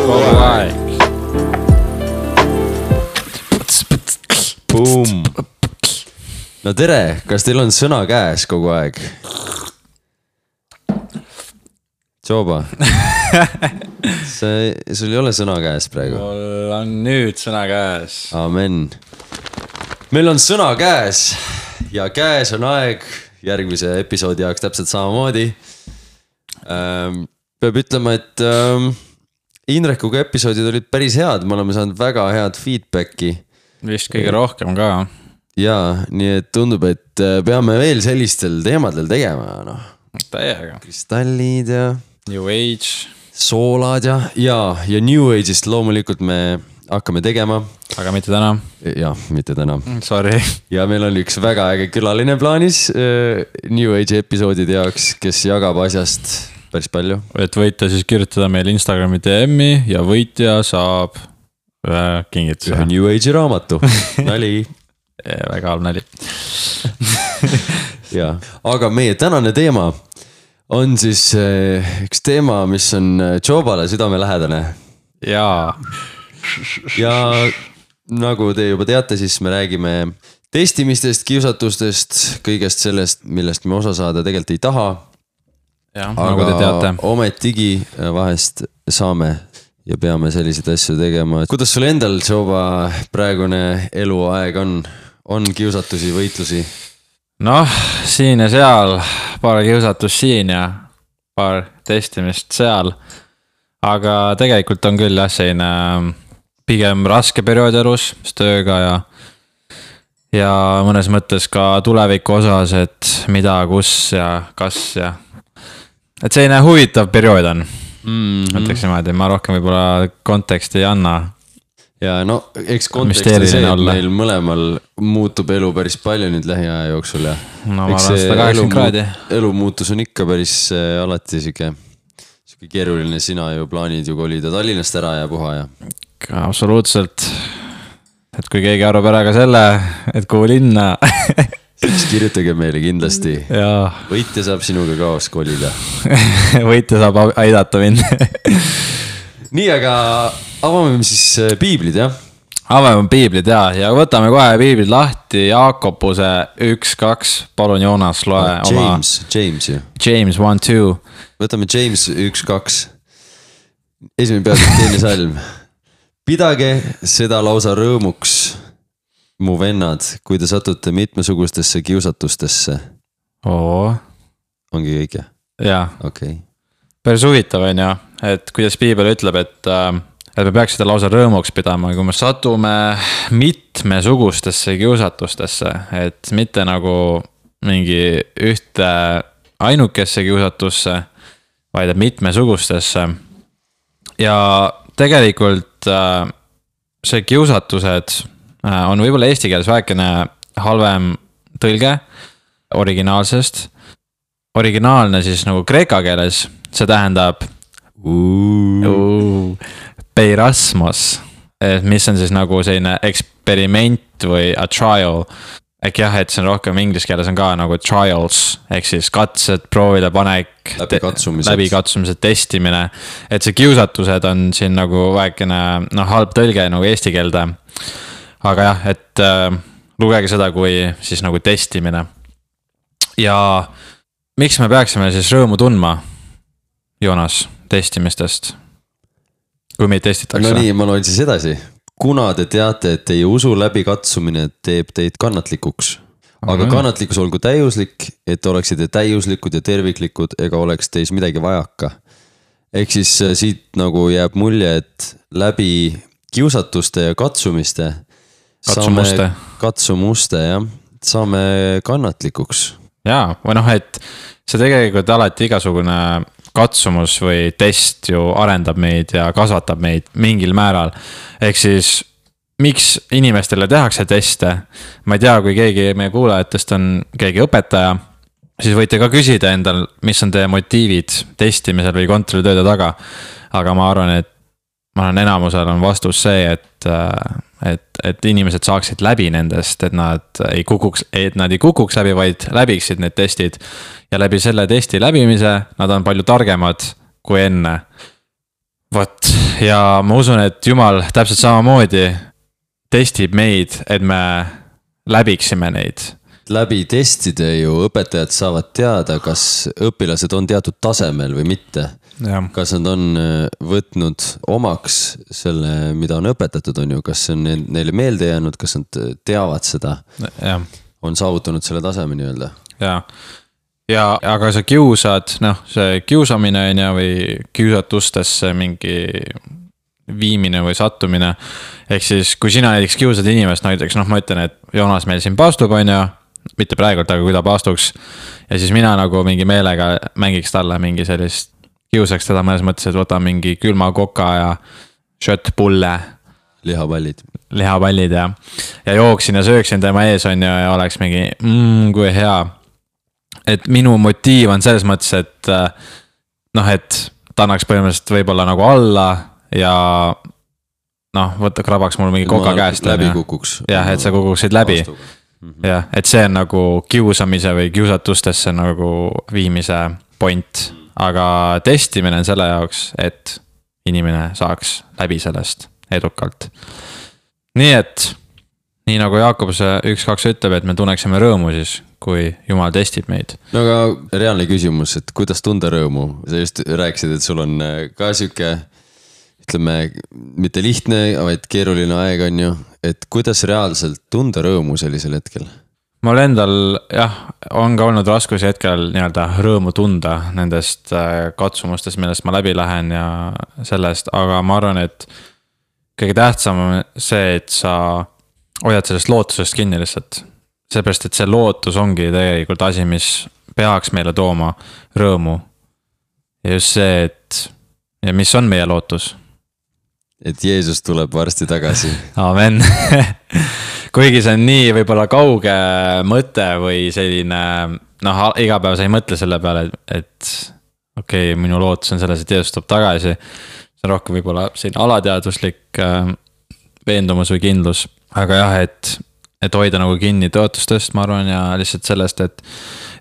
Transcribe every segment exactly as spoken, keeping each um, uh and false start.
kogu aeg. Boom. No tere, kas teil on sõna käes kogu aeg? Tšoba. See, sul ei ole sõna käes praegu? Mul on nüüd sõna käes. Amen. Meil on sõna käes ja käes on aeg järgmise episoodi jaoks täpselt samamoodi. Ähm, peab ütlema, et ähm, Indrekuga episoodid olid päris head, me oleme saanud väga head feedbacki. Vist kõige rohkem ka. Jaa, nii et tundub, et peame veel sellistel teemadel tegema. No. Täiega. Kristallid ja... New Age. Soolad ja... Ja, ja New Age'ist loomulikult me hakkame tegema. Aga mitte täna. Ja, mitte täna. Sorry. Ja meil on üks väga äge külaline plaanis New Age episoodide jaoks, kes jagab asjast päris palju. Et võite siis kirjutada meil Instagrami D M-i ja võitja saab ühe kingituse. Ühe New Age'i raamatu. Nali. Väga halb nali. Ja, aga meie tänane teema on siis üks teema, mis on Tšobale südamelähedane. Jaa. Ja nagu te juba teate, siis me räägime testimistest, kiusatustest, kõigest sellest, millest me osa saada tegelikult ei taha. Ja, aga nagu te teate. Ometigi vahest saame ja peame selliseid asju tegema. Kuidas sul endal, Tšoba, praegune eluaeg on? On kiusatusi, võitlusi? Noh, siin ja seal, paar kiusatus siin ja paar testimist seal. Aga tegelikult on küll jah, selline pigem raske periood elus, tööga ja, ja mõnes mõttes ka tuleviku osas, et mida, kus ja kas ja... Et selline huvitav periood on. Mm-hmm. Mõtleks niimoodi, ma rohkem võib-olla konteksti ei anna. Ja no, eks kontekst on see, et meil mõlemal muutub elu päris palju nüüd lähiaja jooksul ja no, eks see elu, kraadi. elu muutus on ikka päris äh, alati siuke, siuke keeruline, sina ju plaanid ju kolida Tallinnast ära ja puha ja. Absoluutselt. Et kui keegi arvab ära ka selle, et kuhu linna. Siis kirjutage meile kindlasti. Ja. Võitja saab sinuga kaos kolida. Võitja saab aidata mind. Nii, aga avame siis piiblid, jah? Avame piiblid, jah. Ja võtame kohe piiblid lahti. Jaakopuse üks, kaks. Palun, Joonas, loe oh, James, oma... James ju. James one, two. Võtame James üks, kaks. Esimene pealt teine salm. Pidage seda lausa rõõmuks, mu vennad, kui te satute mitmesugustesse kiusatustesse. Oo. Ongi kõik, jah? Jaa. Okei. Okay. Päris huvitav on ja, et kuidas piibel ütleb, et, et me peaks seda lausa rõõmuks pidama, kui me satume mitmesugustesse kiusatustesse, et mitte nagu mingi ühte ainukesse kiusatusse, vaid mitmesugustesse. Ja tegelikult see kiusatused on võib-olla eesti keeles väikene halvem tõlge originaalsest. Originaalne siis nagu kreeka keeles, see tähendab uh, peirasmos, mis on siis nagu selline eksperiment või a trial. Ehk jah, et see on rohkem inglise keeles on ka nagu trials, ehk siis katsed, proovile panek, läbikatsumised, läbikatsumised, testimine. Et see kiusatused on siin nagu väikene no, halb tõlge nagu eesti keelde. Aga jah, et äh, lugege seda kui siis nagu testimine. Ja miks me peaksime siis rõõmu tundma, Joonas, testimistest, kui meid testitakse? No nii, ma loen siis edasi. Kuna te teate, et teie usu läbikatsumine teeb teid kannatlikuks, aga kannatlikkus olgu täiuslik, et oleksite täiuslikud ja terviklikud ega oleks teis midagi vajaka. Ehk siis siit nagu jääb mulje, et läbi kiusatuste ja katsumiste katsumuste, saame, katsumuste jah, saame kannatlikuks. Jaa, või noh, et see tegelikult alati igasugune katsumus või test ju arendab meid ja kasvatab meid mingil määral. Ehk siis, miks inimestele tehakse teste? Ma ei tea, kui keegi meie kuulajatest on keegi õpetaja, siis võite ka küsida endal, mis on teie motiivid testimisel või kontrollitööde taga. Aga ma arvan, et ma olen enamusel on vastus see, et, et, et inimesed saaksid läbi nendest, et nad ei kukuks, et nad ei kukuks läbi, vaid läbiksid need testid. Ja läbi selle testi läbimise nad on palju targemad kui enne. vot, ja ma usun, et Jumal täpselt samamoodi testib meid, et me läbiksime neid. Läbi testide ju õpetajad saavad teada, kas õpilased on teatud tasemel või mitte. Ja. Kas nad on võtnud omaks selle, mida on õpetatud, on ju, kas on neile meelde jäänud, kas nad teavad seda, ja. On saavutanud selle taseme nii-öelda. Ja, ja aga sa kiusad, noh, see kiusamine on ja või kiusatustesse mingi viimine või sattumine. Ehk siis, kui sina näiteks kiusad inimest, näiteks, noh, ma ütlen, et Joonas meil siin paastub, on ju, mitte praegult, aga kui ta paastuks. Ja siis mina nagu mingi meelega mängiks talle mingi sellist, kiusaks teda mõnes mõttes, et võta mingi külma koka ja shot pulle. Lihapallid. Lihapallid ja, ja jooksin ja sööksin tema ees on ju ja oleks mingi, mm, kui hea. Et minu motiiv on selles mõttes, et noh, et ta annaks põhimõtteliselt võib-olla nagu alla ja noh, võtta krabaks mul mingi koka käest. Läbi kukuks. Jah, et sa kukuksid läbi. Jah, et see on nagu kiusamise või kiusatustesse nagu viimise point, aga testimine on selle jaoks, et inimene saaks läbi sellest edukalt. Nii et, nii nagu Jaakob see üks kaks ütleb, et me tunneksime rõõmu siis, kui Jumal testib meid. No aga reaalne küsimus, et kuidas tunda rõõmu? Sa just rääkisid, et sul on ka siuke, ütleme, mitte lihtne, vaid keeruline aeg on ju, et kuidas reaalselt tunda rõõmu sellisel hetkel? Mul endal, jah, on ka olnud raskusi hetkel nii-öelda rõõmu tunda nendest katsumustest, millest ma läbi lähen ja sellest, aga ma arvan, et kõige tähtsam on see, et sa hoiad sellest lootusest kinni lihtsalt. Seepärast, et see lootus ongi tegelikult asi, mis peaks meile tooma rõõmu. Ja just see, et ja mis on meie lootus? Et Jeesus tuleb varsti tagasi. Amen. Kuigi see on nii võib-olla kauge mõte või selline, noh, iga päev sa ei mõtle selle peale, et okei, okay, minu lootus on selles, et Jeesus tuleb tagasi. See on rohkem võib-olla selline alateaduslik veendumus või kindlus. Aga jah, et, et hoida nagu kinni tõotustest, ma arvan, ja lihtsalt sellest, et,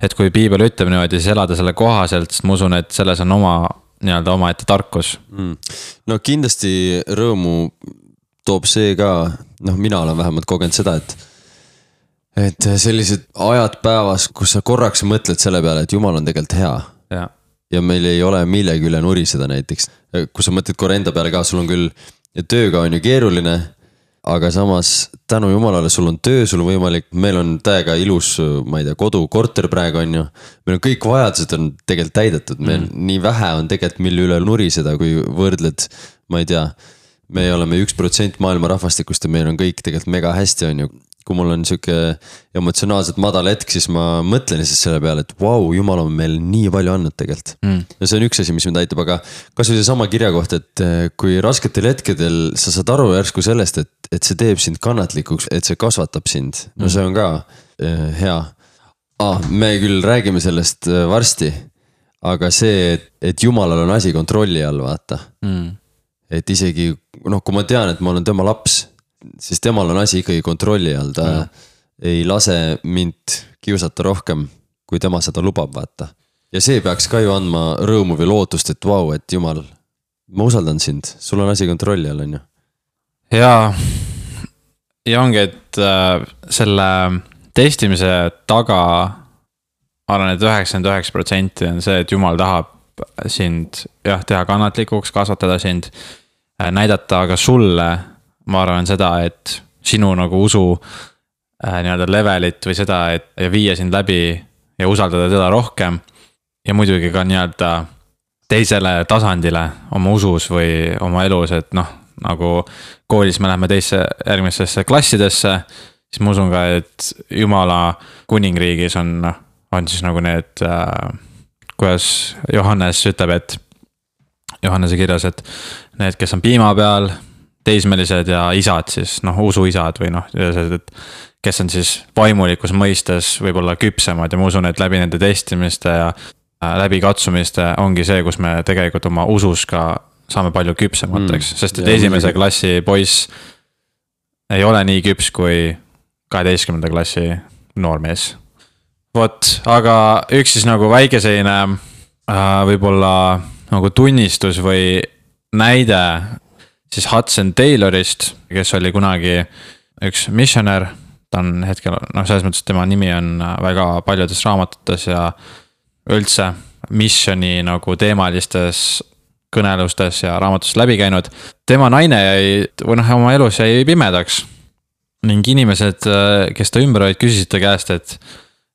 et kui piibel ütleb niimoodi, siis elada selle kohaselt, sest ma usun, et selles on oma nii-öelda oma ette tarkus. Mm. No kindlasti rõõmu toob see ka, noh, mina olen vähemalt kogenud seda, et et sellised ajad päevas, kus sa korraks mõtled selle peale, et Jumal on tegelikult hea. Ja, ja meil ei ole millegi üle nuriseda näiteks. Kui sa mõtled korra enda peale ka, sul on küll tööga on ju keeruline, aga samas tänu Jumalale sul on töö, sul on võimalik, meil on täiega ilus, ma ei tea, kodu, korter praegu on ju. Meil on kõik vajadused on tegelikult täidetud, meil mm. nii vähe on tegelikult mille üle nuriseda, kui võrdled, ma ei tea, me oleme üks protsent maailma rahvastikust ja meil on kõik tegelikult mega hästi on ju. Kui mul on siuke emotsionaalselt madal hetk, siis ma mõtlen siis selle peale, et vau, Jumal on meil nii palju andnud tegelikult. Mm. Ja see on üks asi, mis mind aitab, aga kas või see sama kirja kohta, et kui rasketel hetkedel sa saad aru järsku sellest, et, et see teeb sind kannatlikuks, et see kasvatab sind. No see on ka äh, hea. Ah, me küll räägime sellest varsti, aga see, et, et Jumalal on asi kontrolli all, vaata. Mm. Et isegi, noh, kui ma tean, et ma olen tema laps, siis temal on asi ikkagi kontrolli all, ta ja. Ei lase mind kiusata rohkem, kui tema seda lubab, vaata. Ja see peaks ka ju andma rõõmu või lootust, et vau, et Jumal, ma usaldan sind, sul on asi kontrolli all, on ju. Ja, ja ongi, et äh, selle testimise taga arvan, et üheksakümmend üheksa protsenti on see, et Jumal tahab sind jah, teha kannatlikuks, kasvatada sind, äh, näidata aga sulle, ma arvan seda, et sinu nagu usu äh, nii-öelda levelit või seda, et ja viia sind läbi ja usaldada teda rohkem. Ja muidugi ka nii-öelda teisele tasandile oma usus või oma elus, et noh, nagu koolis me läheme teisse järgmistesse klassidesse, siis ma usun ka, et Jumala kuningriigis on, on siis nagu need, äh, kuidas Johannes ütleb, et Johannese kirjas, et need, kes on piima peal, teismelised ja isad siis, noh, usuisad või noh, et kes on siis vaimulikus mõistes võib-olla küpsemad ja ma usun, et läbi nende testimiste ja läbi katsumiste ongi see, kus me tegelikult oma usus ka saame palju küpsemateks, mm, sest et ja, esimese ja. Klassi poiss ei ole nii küps kui kaheteistkümnenda klassi noormees. Vot, aga üks siis nagu väike selline äh, võib-olla nagu tunnistus või näide siis Hudson Taylorist, kes oli kunagi üks missionär. Ta on hetkel, noh selles mõttes, tema nimi on väga paljudes raamatutes ja üldse missioni nagu teemalistes kõnelustes ja raamatus läbi käinud. Tema naine jäi, või noh, oma elus jäi pimedaks. Ning inimesed, kes ta ümber olid, küsisid ta käest, et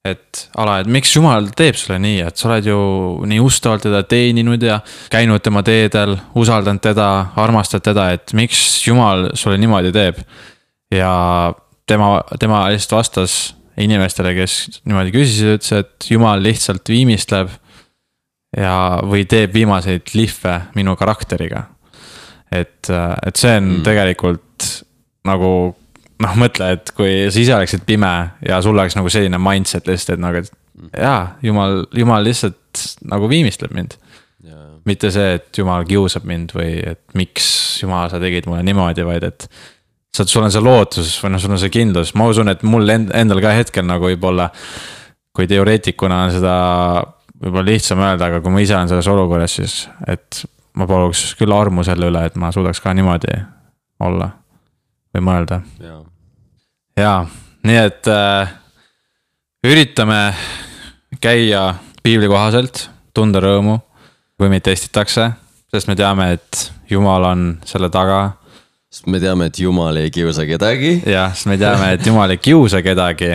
et ala, et miks Jumal teeb sulle nii, et sa oled ju nii ustavalt teda teeninud ja käinud tema teedel, usaldanud teda, armastad teda, et miks Jumal sulle niimoodi teeb. Ja tema, tema lihtsalt vastas inimestele, kes niimoodi küsisid, ütles, et Jumal lihtsalt viimistleb ja, või teeb viimaseid lihve minu karakteriga. Et, et see on mm. tegelikult nagu noh, mõtle, et kui sa ise oleksid pime ja sul oleks nagu selline mindset lihtsalt, et nagu, et jaa, Jumal, Jumal lihtsalt nagu viimistleb mind. Yeah. Mitte see, et Jumal kiusab mind või et miks Jumal sa tegid mulle niimoodi, vaid et sa, sul on see lootus või noh, sul on see kindlus. Ma usun, et mul endal ka hetkel nagu võib-olla, kui teoreetikuna on seda võib-olla lihtsam öelda, aga kui ma ise olen selles olukorras, siis et ma paluks küll armu selle üle, et ma suudaks ka niimoodi olla või mõelda. Yeah. Jaa, nii et äh, üritame käia piibli kohaselt, tunda rõõmu, kui meid testitakse, sest me teame, et Jumal on selle taga. Sest me teame, et Jumal ei kiusa kedagi. Jah, sest me teame, et Jumal ei kiusa kedagi.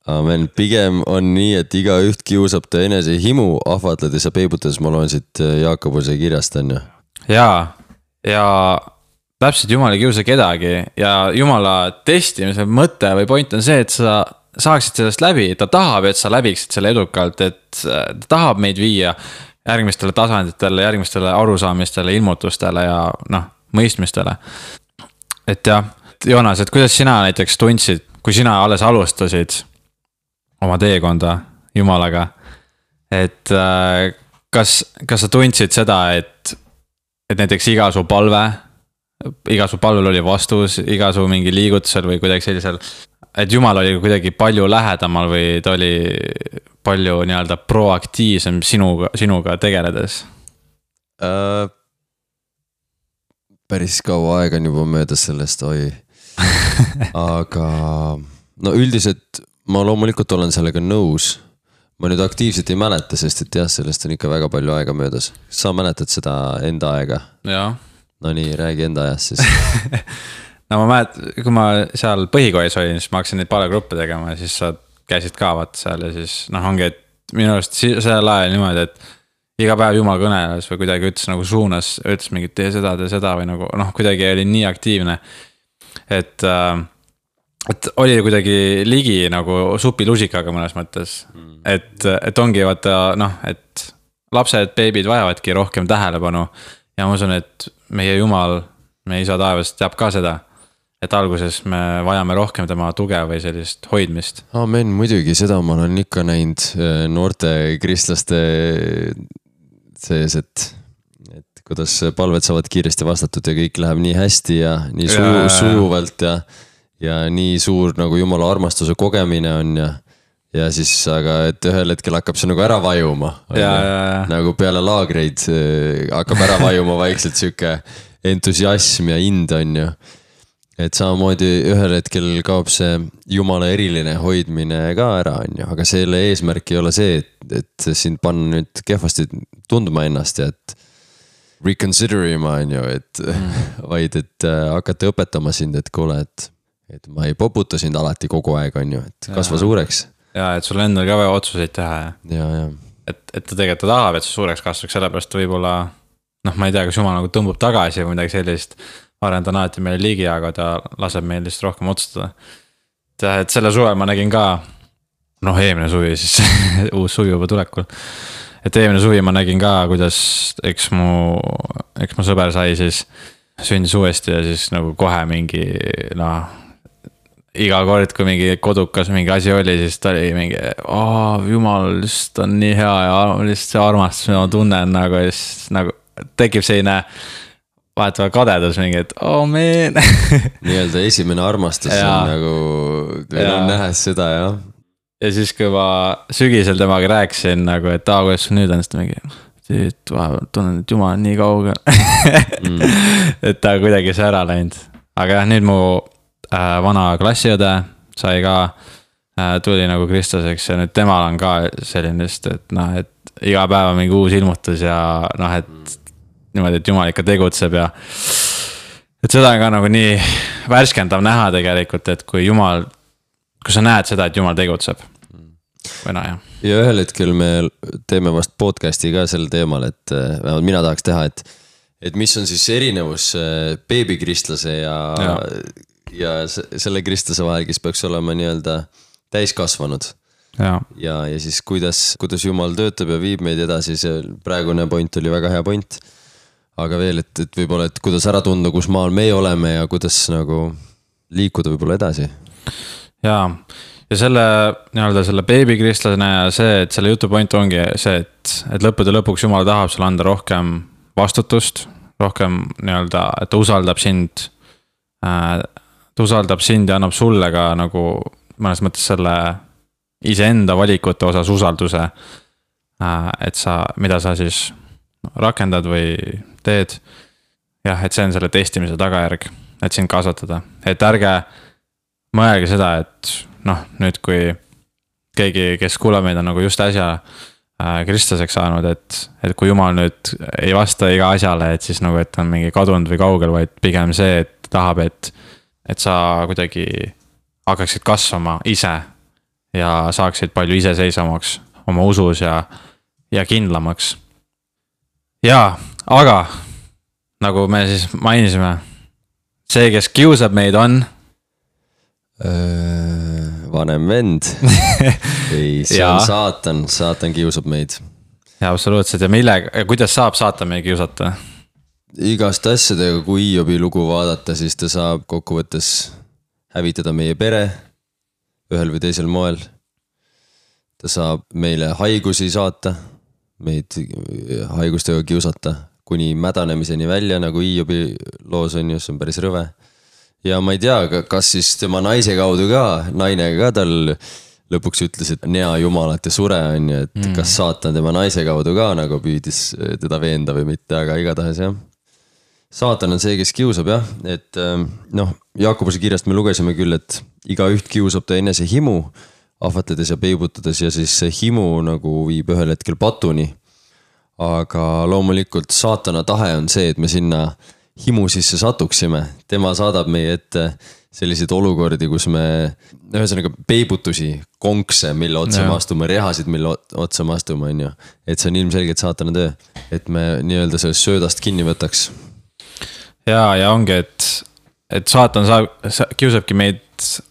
Amen, pigem on nii, et iga üht kiusab ta enese himu ahvatledes ja peibutades, ma loen siit Jaakobuse kirjast on ju. Jaa, ja täpselt Jumal ei kiusa kedagi ja Jumala testimise mõte või point on see, et sa saaksid sellest läbi, ta tahab, et sa läbiksid selle edukalt, et ta tahab meid viia järgmistele tasanditele, järgmistele arusaamistele, ilmutustele ja noh, mõistmistele. Et jah, Joonas, et kuidas sina näiteks tundsid, kui sina alles alustasid oma teekonda Jumalaga, et kas, kas sa tundsid seda, et, et näiteks iga su palve iga su palvel oli vastus, iga su mingi liigutusel või kuidagi sellisel, et Jumal oli kuidagi palju lähedamal või ta oli palju nii-öelda proaktiivsem sinuga, sinuga tegeledes äh,? Päris kaua aega on juba möödas sellest, oi. Aga no üldiselt ma loomulikult olen sellega nõus. Ma nüüd aktiivselt ei mäleta, sest et jah, sellest on ikka väga palju aega möödas. Sa mäletad seda enda aega? Jaa. No nii, räägi enda ajast siis. No ma mälet, kui ma seal põhikoolis olin, siis ma hakkasin neid palvegruppe tegema ja siis sa käisid ka vaat seal ja siis noh, ongi, et minu arust sellel ajal niimoodi, et iga päev Jumal kõneles või kuidagi ütles nagu suunas, ütles mingi tee seda, tee seda või nagu noh, kuidagi oli nii aktiivne, et, et oli kuidagi ligi nagu supilusikaga mõnes mõttes, et, et ongi vaata noh, et lapsed, beebid vajavadki rohkem tähelepanu ja ma usun, et meie Jumal, meie isa taevas teab ka seda, et alguses me vajame rohkem tema tuge või sellist hoidmist. Amen, muidugi seda ma olen ikka näinud noorte kristlaste sees, et, et kuidas palved saavad kiiresti vastatud ja kõik läheb nii hästi ja nii suju, ja, sujuvalt ja, ja nii suur nagu Jumala armastuse kogemine on ja ja siis, aga et ühel hetkel hakkab see nagu ära vajuma. Ja, ja, ja. Nagu peale laagreid hakkab ära vajuma vaikselt siuke entusiasm ja ind on ju. Et samamoodi ühel hetkel kaob see Jumala eriline hoidmine ka ära on ju, aga selle eesmärk ei ole see, et, et sind panna nüüd kehvasti tundma ennast ja et reconsider ima on ju, et mm. vaid et hakata õpetama sind, et kuule, et, et ma ei poputa sind alati kogu aeg on ju, et kasva ja. Suureks. Ja, et sul endal ka vaja otsuseid teha ja, ja, ja. Et, et ta tegelikult tahab, et sa suureks kasvaks, sellepärast võib-olla noh, ma ei tea, kas Jumal nagu tõmbub tagasi või midagi sellist, arvan, ta on alati meile ligi, aga ta laseb meil lihtsalt rohkem otsustada. Et selle suve ma nägin ka, noh eelmine suvi siis, uus suvi juba tulekul, et eelmine suvi ma nägin ka, kuidas eks mu, eks mu sõber sai siis sündis uuesti ja siis nagu kohe mingi noh, iga kord, kui mingi kodukas mingi asi oli, siis ta oli mingi, oh, Jumal lihtsalt on nii hea ja lihtsalt see armastus, mida ma tunnen nagu, siis nagu tekib selline vahetava kadedus mingi, et oh man. Nii-öelda esimene armastus ja. On nagu, veel on nähes seda, jah. Ja siis, kui ma sügisel temaga rääkisin nagu, et aa, kuidas sul nüüd on, siis ta mingi, et vahepeal tunnen, et jumal on nii kaugel mm. et ta kuidagi see ära läinud. Aga jah, nüüd mu äh, vana klassiõde sai ka äh, tuli nagu kristlaseks ja nüüd temal on ka selline just, et noh, et iga päev on mingi uus ilmutus ja noh, et niimoodi, et jumal ikka tegutseb ja et seda on ka nagu nii värskendav näha tegelikult, et kui jumal, kui sa näed seda, et jumal tegutseb või noh, jah. Ja ühel hetkel me teeme vast podcasti ka sel teemal, et vähemalt mina tahaks teha, et et mis on siis erinevus beebikristlase ja, ja. ja selle kristlase vahel, kes peaks olema nii-öelda täiskasvanud. Ja, ja, ja siis kuidas, kuidas Jumal töötab ja viib meid edasi, see praegune point oli väga hea point. Aga veel, et, et võib-olla, et kuidas ära tunda, kus maal me oleme ja kuidas nagu liikuda võib-olla edasi. Jaa. Ja selle, nii-öelda selle beebikristlane ja see, et selle jutu point ongi see, et, et lõppude lõpuks Jumal tahab sulle anda rohkem vastutust, rohkem nii-öelda, et ta usaldab sind, äh, ta usaldab sind ja annab sulle ka nagu mõnes mõttes selle iseenda valikute osas usalduse, äh, et sa, mida sa siis rakendad või teed. Jah, et see on selle testimise tagajärg, et sind kasvatada, et ärge mõelge seda, et noh, nüüd kui keegi, kes kuulab meid on nagu just äsja äh, kristlaseks saanud, et, et kui Jumal nüüd ei vasta iga asjale, et siis nagu, et on mingi kadunud või kaugel, vaid pigem see, et tahab, et, et sa kuidagi hakkaksid kasvama ise ja saaksid palju iseseisvamaks oma usus ja, ja kindlamaks. Jaa, aga nagu me siis mainisime, see, kes kiusab meid on vanem vend. Ei, see on saatan, saatan kiusab meid. Ja absoluutselt, ja millega, kuidas saab saatan meid kiusata? Igast asjadega, kui Hiobi lugu vaadata, siis ta saab kokkuvõttes hävitada meie pere ühel või teisel moel. Ta saab meile haigusi saata, meid haigustega kiusata, kuni mädanemiseni välja, nagu Hiobi loos on, just on päris rõve. Ja ma ei tea, kas siis tema naise kaudu ka, naine ka tal lõpuks ütles, et nea jumalat ja sure on ju, et mm. kas saatan tema naise kaudu ka nagu püüdis teda veenda või mitte, aga igatahes jah. Saatan on see, kes kiusab jah, et noh, Jaakobuse kirjast me lugesime küll, et iga üht kiusab ta enese himu, ahvatledes ja peibutades ja siis see himu nagu viib ühel hetkel patuni. Aga loomulikult saatana tahe on see, et me sinna himu sisse satuksime. Tema saadab meie ette selliseid olukordi, kus me ühesõnaga peibutusi, konkse, mille otsa me astume, rehasid, mille otsa me astume, on ju. Et see on ilmselgelt saatana töö, et me nii-öelda sellest söödast kinni võtaks. Ja, ja ongi, et, et saatan saab, kiusabki meid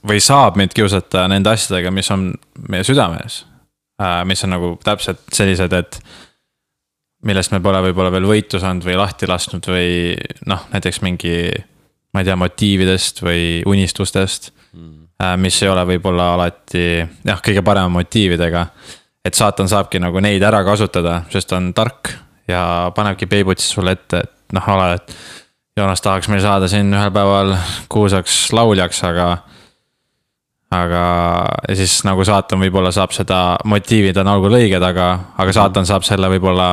või saab meid kiusata nende asjadega, mis on meie südames, mis on nagu täpselt sellised, et millest me pole võib-olla veel võitu saanud või lahti lasknud või noh, näiteks mingi, ma ei tea, motiividest või unistustest, mm. mis ei ole võib-olla alati jah, kõige parema motiividega, et saatan saabki nagu neid ära kasutada, sest on tark ja panebki peibutsis sulle ette, et noh, ole, et Joonas tahaks meil saada siin ühel päeval kuulsaks lauljaks, aga aga ja siis nagu saatan võib-olla saab seda motiivid on algul õiged, aga, aga saatan saab selle võib-olla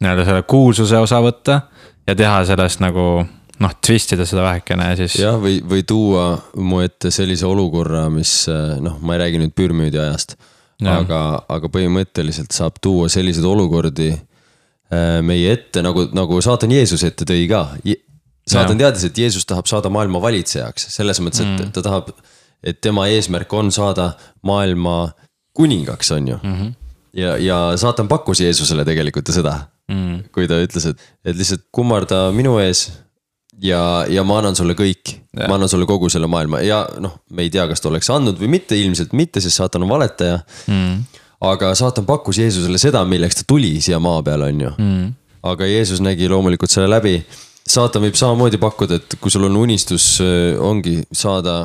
nii-öelda selle kuulsuse osa võtta ja teha sellest nagu noh, twistida seda vähekene ja siis jah, või, või tuua mu ette sellise olukorra, mis noh, ma ei räägi nüüd pürmüüdi ajast, aga, aga põhimõtteliselt saab tuua sellised olukordi meie ette, nagu, nagu saatan Jeesus ette tõi ka. Saatan teadis, et Jeesus tahab saada maailma valitsejaks, selles mõttes, et ta tahab, et tema eesmärk on saada maailma kuningaks, on ju. Mm-hmm. Ja, ja saatan pakkus Jeesusele tegelikult seda, mm. kui ta ütles, et, et lihtsalt kummarda minu ees ja, ja ma annan sulle kõik, ja. Ma annan sulle kogu selle maailma ja noh, me ei tea, kas ta oleks andnud või mitte, ilmselt mitte, sest saatan on valetaja, mm. aga saatan pakkus Jeesusele seda, milleks ta tuli siia maa peal, on ju. Mm. Aga Jeesus nägi loomulikult selle läbi. Saatan võib samamoodi pakkuda, et kui sul on unistus, ongi saada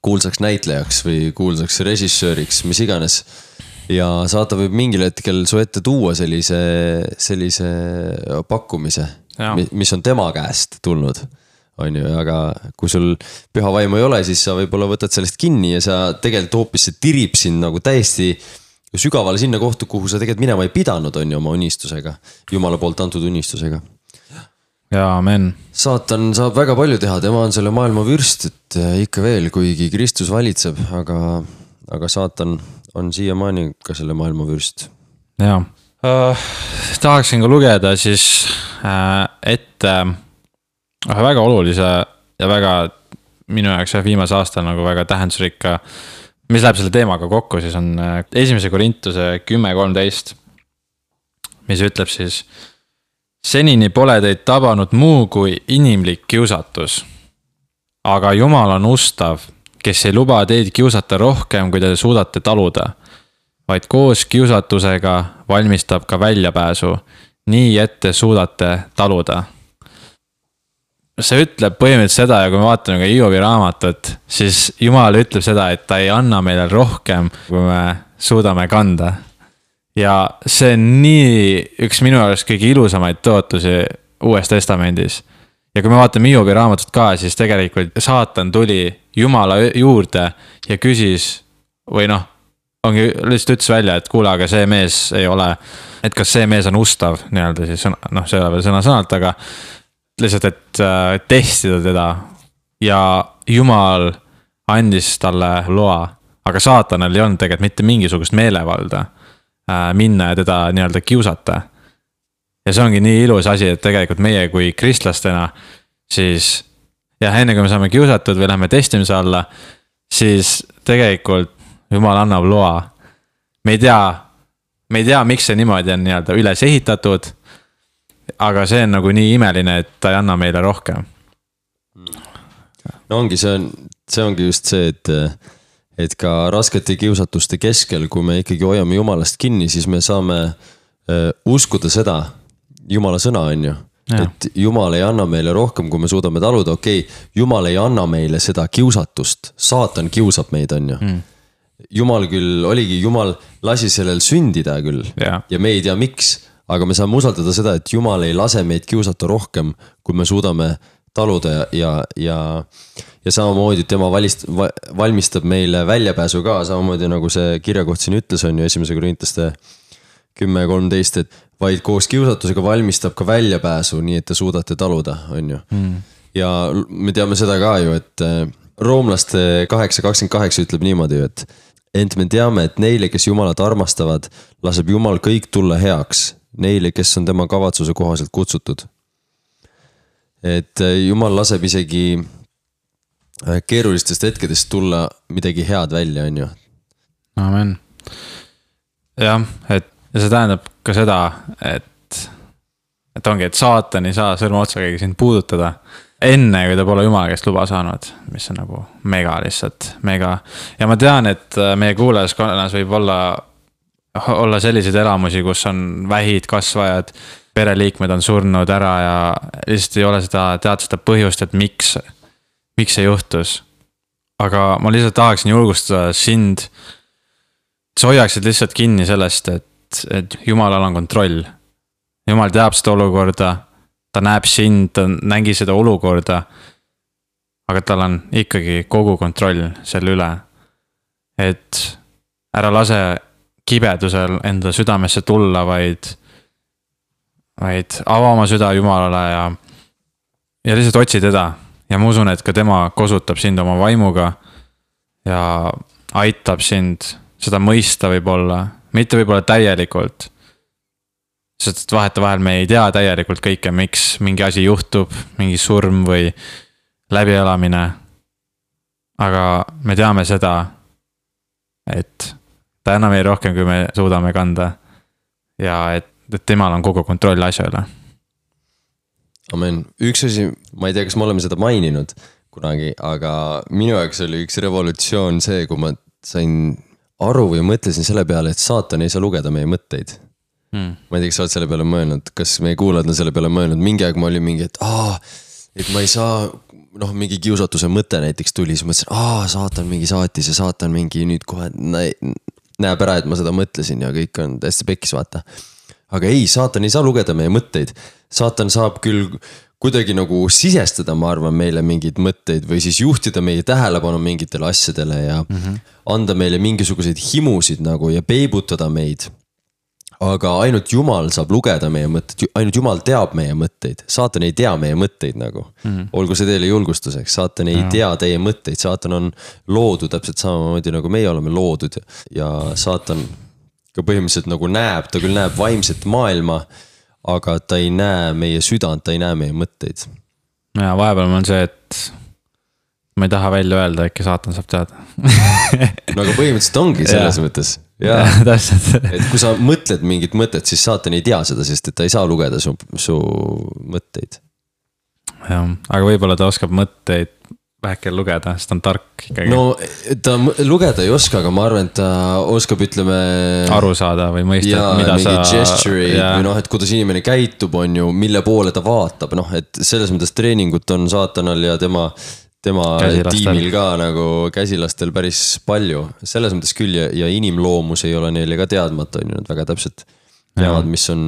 kuulsaks näitlejaks või kuulsaks režissööriks, mis iganes. Ja saatan võib mingil hetkel su ette tuua sellise, sellise pakkumise, ja. Mis on tema käest tulnud, on ju, aga kui sul püha vaimu ei ole, siis sa võib-olla võtad sellest kinni ja sa tegelikult hoopis see tirib sind nagu täiesti sügavale sinna kohta, kuhu sa tegelikult minema ei pidanud, on ju oma unistusega, Jumala poolt antud unistusega. ja amen. Saatan saab väga palju teha, tema on selle maailma vürst, et ikka veel, kuigi Kristus valitseb, aga, aga saatan on siiamaani ka selle maailma vürst. Jaa, uh, tahaksin ka lugeda siis uh, ette uh, väga olulise ja väga minu jaoks viimase aasta nagu väga tähendusrikka, mis läheb selle teemaga kokku, siis on uh, esimese Korintuse kümme kolmteist, mis ütleb siis: senini pole teid tabanud muu kui inimlik kiusatus. Aga Jumal on ustav, kes ei luba teid kiusata rohkem, kui te suudate taluda, vaid koos kiusatusega valmistab ka väljapääsu, nii et te suudate taluda. See ütleb põhimõtteliselt seda, ja kui me vaatame ka Hiobi raamatut, siis Jumal ütleb seda, et ta ei anna meile rohkem, kui me suudame kanda. Ja see on nii üks minu jaoks kõige ilusamaid tõotusi Uues Testamendis. Ja kui me vaatame Hiobi raamatut ka, siis tegelikult saatan tuli Jumala juurde ja küsis, või noh, ongi lihtsalt ütles välja, et kuule, aga see mees ei ole, et kas see mees on ustav, nii-öelda siis, noh, see ei ole veel sõna-sõnalt, aga lihtsalt, et äh, testida teda. Ja Jumal andis talle loa, aga saatanal ei olnud tegelikult mitte mingisugust meelevalda minna ja teda nii-öelda kiusata. Ja see ongi nii ilus asi, et tegelikult meie kui kristlastena siis, ja enne kui me saame kiusatud või lähme testimise alla, siis tegelikult Jumal annab loa. Me ei tea, me ei tea, miks see niimoodi on nii-öelda üles ehitatud, aga see on nagu nii imeline, et ta ei anna meile rohkem. No ongi, see on, see ongi just see, et et ka raskete kiusatuste keskel, kui me ikkagi hoiame Jumalast kinni, siis me saame uh, uskuda seda, Jumala sõna on ju, ja. Et Jumal ei anna meile rohkem, kui me suudame taluda, okei, okay, Jumal ei anna meile seda kiusatust, saatan kiusab meid on ju. Mm. Jumal küll, oligi, Jumal lasi sellel sündida küll ja. Ja me ei tea miks, aga me saame usaldada seda, et Jumal ei lase meid kiusata rohkem, kui me suudame taluda ja, ja, ja ja samamoodi tema valist, valmistab meile väljapääsu ka, samamoodi nagu see kirjakoht siin ütles on ju esimese Korintlaste kümme kolmteist, et vaid koos kiusatusega valmistab ka väljapääsu, nii et te suudate taluda, on ju. Mm. Ja me teame seda ka ju, et roomlaste kaheksa kakskümmend kaheksa ütleb niimoodi, et ent me teame, et neile, kes Jumalat armastavad, laseb Jumal kõik tulla heaks, neile, kes on tema kavatsuse kohaselt kutsutud. Et Jumal laseb isegi keerulistest hetkedest tulla midagi head välja, on ju. Amen. Jah, et ja see tähendab ka seda, et, et ongi, et saatan ei saa sõrma otsa keegi sind puudutada enne, kui ta pole Jumala käest luba saanud, mis on nagu mega lihtsalt, mega. Ja ma tean, et meie kuulajaskonnas võib olla, olla selliseid elamusi, kus on vähid kasvajad, pereliikmed on surnud ära ja lihtsalt ei ole seda tead seda põhjust, et miks miks see juhtus. Aga ma lihtsalt tahaksin julgustada sind, et sa hoiaksid lihtsalt kinni sellest, et, et Jumalal on kontroll. Jumal teab seda olukorda, ta näeb sind, ta nägi seda olukorda, aga tal on ikkagi kogu kontroll selle üle. Et ära lase kibedusel enda südamesse tulla, vaid, vaid ava oma süda Jumalale ja, ja lihtsalt otsi teda. Ja ma usun, et ka tema kosutab sind oma vaimuga ja aitab sind seda mõista võib-olla, mitte võib-olla täielikult. Sest vaheta vahel me ei tea täielikult kõike, miks mingi asi juhtub, mingi surm või läbielamine. Aga me teame seda, et ta annab meile rohkem, kui me suudame kanda ja et, et temal on kogu kontroll asja üle. Amen. Üks asi, ma ei tea, kas me oleme seda maininud kunagi, aga minu jaoks oli üks revolutsioon see, kui ma sain aru või mõtlesin selle peale, et saatan ei saa lugeda meie mõtteid. Hmm. Ma ei tea, kas sa oled selle peale mõelnud, kas meie kuulajad on selle peale mõelnud, mingi aeg ma olin mingi, et aa, et ma ei saa, noh, mingi kiusatuse mõte näiteks tuli, siis mõtlesin, aa, saatan mingi saatis ja saatan mingi nüüd kohe näeb ära, et ma seda mõtlesin ja kõik on täiesti pekkis, vaata. Aga ei, saatan ei saa lugeda meie mõtteid. Saatan saab küll kuidagi nagu sisestada, ma arvan, meile mingeid mõtteid või siis juhtida meie tähelepanu mingitele asjadele ja mm -hmm. anda meile mingisuguseid himusid nagu ja peibutada meid. Aga ainult Jumal saab lugeda meie mõtteid, ainult Jumal teab meie mõtteid, saatan ei tea meie mõtteid nagu. Mm -hmm. Olgu see teile julgustuseks, saatan ei ja. tea teie mõtteid, saatan on loodud täpselt samamoodi nagu meie oleme loodud ja, ja saatan ka põhimõtteliselt nagu näeb, ta küll näeb vaimset maailma, aga ta ei näe meie südant, ta ei näe meie mõtteid. Ja vahepeal on see, et ma ei taha välja öelda, äkki saatan saab teada. No aga põhimõtteliselt ongi selles ja. mõttes. Ja, et kui sa mõtled mingit mõtet, siis saatan ei tea seda, sest et ta ei saa lugeda su, su mõtteid. Jah, aga võib-olla ta oskab mõtteid väheke lugeda, sest ta on tark ikkagi. No ta lugeda ei oska, aga ma arvan, et ta oskab, ütleme aru saada või mõista, ja, mida sa gesture'id või noh, et kuidas inimene käitub, on ju, mille poole ta vaatab, noh, et selles mõttes treeningut on saatanal ja tema tema käsilastel. Tiimil ka nagu käsilastel päris palju, selles mõttes küll ja, ja inimloomus ei ole neile ka teadmata, on ju, nad väga täpselt teavad, mis on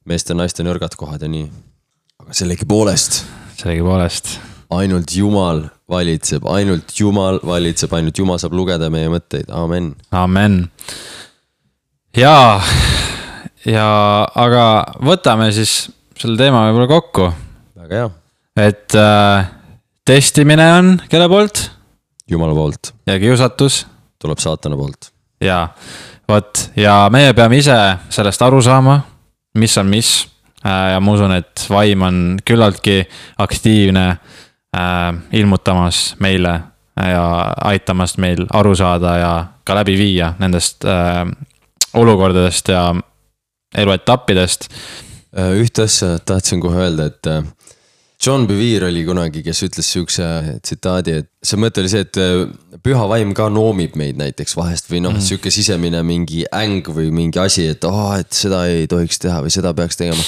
meeste ja naiste nõrgad kohad ja nii. Aga sellegi poolest. Sellegi poolest. Ainult Jumal valitseb, ainult Jumal valitseb, ainult Jumal saab lugeda meie mõtteid, amen. Amen. Ja, ja aga võtame siis selle teema võib-olla kokku. Väga hea. Et äh, testimine on kelle poolt? Jumala poolt. Ja kiusatus? Tuleb saatana poolt. Ja, võt, ja meie peame ise sellest aru saama, mis on mis. Ja ma usun, et vaim on küllaltki aktiivne äh, ilmutamas meile ja aitamas meil aru saada ja ka läbi viia nendest äh, olukordadest ja eluetappidest. Ühte asja tahtsin kohe öelda, et John Bevere oli kunagi, kes ütles siukse tsitaadi, et see mõte oli see, et püha vaim ka noomib meid näiteks vahest või noh, mm. siuke sisemine mingi äng või mingi asi, et oh, et seda ei tohiks teha või seda peaks tegema.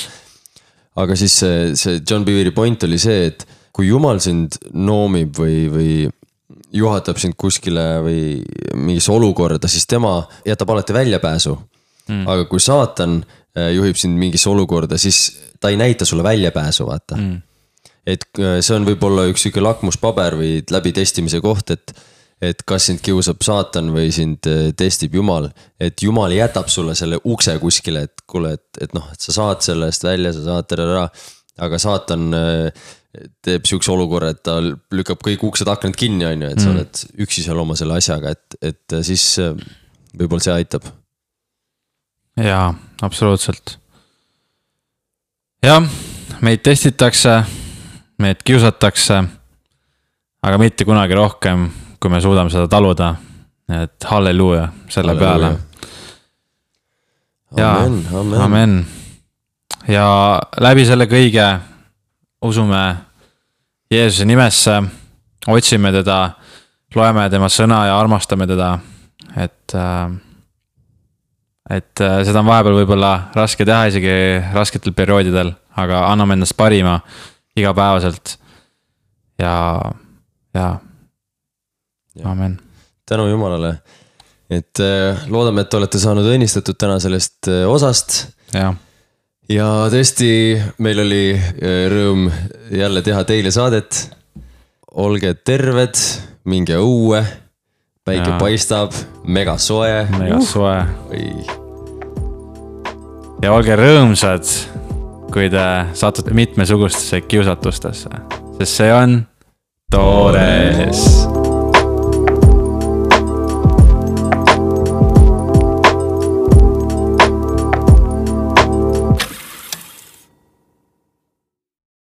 Aga siis see, see John Bevere point oli see, et kui Jumal sind noomib või, või juhatab sind kuskile või mingisse olukorda, siis tema jätab alati väljapääsu. Mm. Aga kui saatan juhib sind mingisse olukorda, siis ta ei näita sulle väljapääsu, vaata. Mm. Et see on võib-olla üks siuke lakmuspaber või läbi testimise koht, et, et kas sind kiusab saatan või sind testib Jumal. Et Jumal jätab sulle selle ukse kuskile, et kuule, et, et noh, et sa saad sellest välja, sa saad ära, aga saatan teeb siukse olukorra, et ta lükkab kõik uksed aknad kinni, on ju, et sa oled üksi seal oma selle asjaga, et, et siis võib-olla see aitab. Jaa, absoluutselt. Jah, meid testitakse, meid kiusatakse, aga mitte kunagi rohkem, kui me suudame seda taluda. Et halleluuja selle halleluuja. Peale. Ja, amen, amen. amen. Ja läbi selle kõige usume Jeesuse nimesse, otsime teda, loeme tema sõna ja armastame teda, et, et seda on vahepeal võib-olla raske teha isegi rasketel perioodidel, aga anname endast parima igapäevaselt ja, ja, ja. Amen. Tänu Jumalale, et loodame, et olete saanud õnnistatud täna sellest osast. Ja. Ja tõesti, meil oli rõõm jälle teha teile saadet. Olge terved, minge õue, päike ja. Paistab, mega soe. Mega uh. soe. Või. Ja olge rõõmsad, kui te satute mitmesugustesse kiusatustesse, sest see on toores.